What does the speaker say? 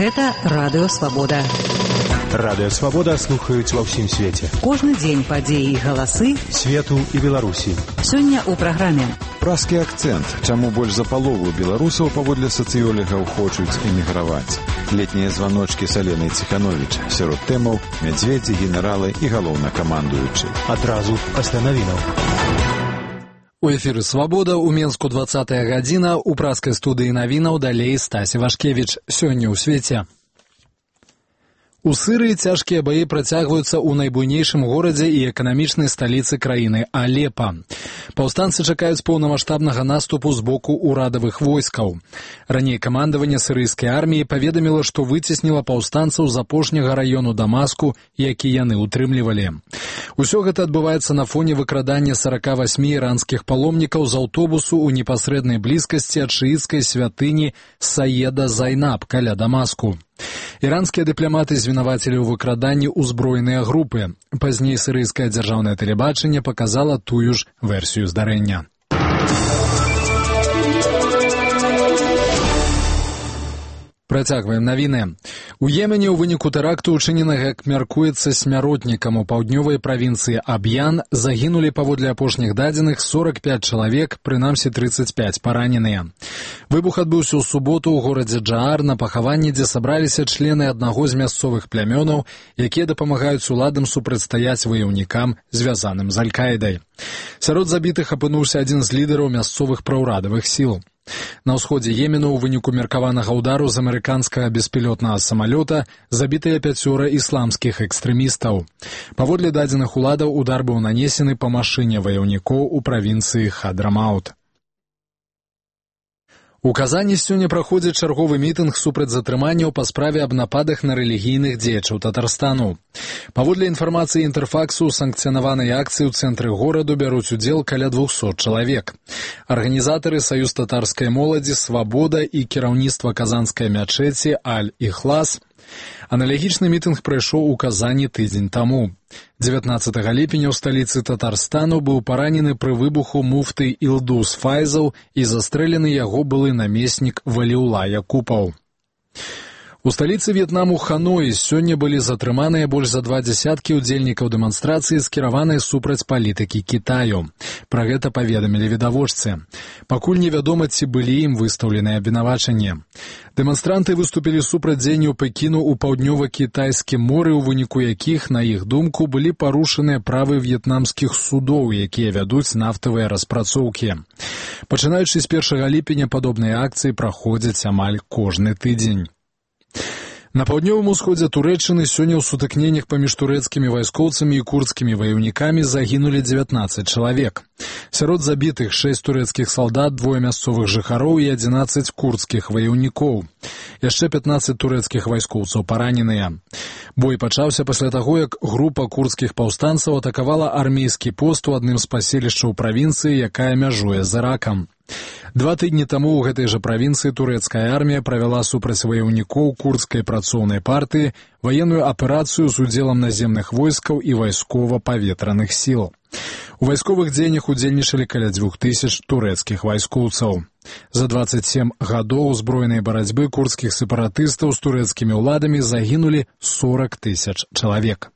Гэта Радыё Свабода. Радыё Свабода слухаюць ва ўсім свеце. Кожны дзень падзеі і галасы свету і Беларусі. Сёння ў праграме. Празкі акцэнт. Чаму больш за палову беларусаў паводле сацыёлігаў хочуць эміграваць? Летнія званочкі з Аленай Ціхановіч. Сярод тэмаў мядзведзі, генералы і галоўнакамандуючы. Адразу пасля навінаў. У эфіры «Свабода» у Менску 20-я гадзіна, у празкай студыі навінаў далей Стасі Вашкевіч. Сёння ў свеце. У Сырыі цяжкія баі працягваюцца ў найбуйнейшым горадзе і эканамічнай сталіцы краіны – Алепа. Паўстанцы чакаюць поўнамаштабнага наступу з боку ўрадавых войскаў. Раней камандаванне сырыйскай арміі паведаміла, што выцесніла паўстанцаў з апошняга раёну Дамаску, які яны ўтрымлівалі. Усё гэта адбываецца на фоне выкрадання 48 іранскіх паломнікаў з аўтобусу ў непасрэднай блізкасці ад шыіцкай святыні Саеда Зайнаб каля Дамаску. Іранскія дыпламаты звінавацілі ў выкраданні ўзброеныя групы. Пазней сырыйскае дзяржаўнае тэлебачанне паказала тую ж версію здарэння. Працягваем навіны. У Йемене ў выніку тэракту, учыненага, як мяркуецца, смяротнікам у паўднёвай правінцыі Аб'ян, загінулі паводле апошніх дадзеных 45 чалавек, прынамсі 35 параненыя. Выбух адбыўся ў суботу ў горадзе Джаар на пахаванні, дзе сабраліся члены аднаго з мясцовых плямёнаў, якія дапамагаюць уладам супрацьстаяць ваяўнікам, звязаным з Аль-Каідай. Сярод забітых апынуўся адзін з лідараў мясцовых праўрадавых сіл. На ўсходзе Йемену ў выніку меркаванага ўдару з амерыканскага беспілотнага самалёта забітыя 5 ісламскіх экстрэмістаў. Паводле дадзеных уладаў, удар быў нанесены па машыне ваяўнікоў у правінцыі Хадрамаут. У Казані сёння праходзіць чарговы мітынг супраць затрыманняў па справе аб нападах на рэлігійных дзеячаў Татарстану. Паводле інфармацыі Інтэрфаксу, у санкцыянаванай акцыі ў цэнтры гораду бяруць удзел каля 200 чалавек. Арганізатары Саюз татарскай моладзі, Свабода і кіраўніцтва казанскай мячэці Аль-Іхлас. Аналагічны мітынг прайшоў у Казані тыдзень таму. 19 ліпеня ў сталіцы Татарстану быў паранены пры выбуху муфты Ілдус Файзаў і застрэлены яго былы намеснік Валіула Якупаў. У сталіцы В'етнаму Ханоі сёння былі затрыманыя больш за 20 удзельнікаў дэманстрацыі, скіраванай супраць палітыкі Кітаю. Пра гэта паведамілі відавочцы. Пакуль невядома, ці былі ім выстаўленыя абвінавачанні. Дэманстранты выступілі супраць дзеянняў Пекіну ў паўднёва-кітайскім моры, у выніку якіх, на іх думку, былі парушаныя правы в'етнамскіх судоў, якія вядуць нафтавыя распрацоўкі. Пачынаючы з 1 ліпеня падобныя акцыі праходзяць амаль кожны тыдзень. На паўднёвым усходзе Турэччыны сёння ў сутыкненнях паміж турэцкімі вайскоўцамі і курдскімі ваяўнікамі загінулі 19 чалавек. Сярод забітых 6 турэцкіх салдат, 2 мясцовых жыхароў і 11 курдскіх ваяўнікоў. Яшчэ 15 турэцкіх вайскоўцаў параненыя. Бой пачаўся пасля таго, як група курдскіх паўстанцаў атакавала армейскі пост у адным з паселішчаў правінцыі, якая мяжуе з Іракам. 2 тыдні таму ў гэтай жа правінцыі турэцкая армія правяла супраць ваяўнікоў курдскай працоўнай партыі ваенную аперацыю з удзелам наземных войскаў і вайскова-паветраных сіл. У вайсковых дзеяннях удзельнічалі каля 2000 турэцкіх вайскоўцаў. За 27 гадоў узброенай барацьбы курдскіх сепаратыстаў з турэцкімі ўладамі загінулі 40 000 чалавек.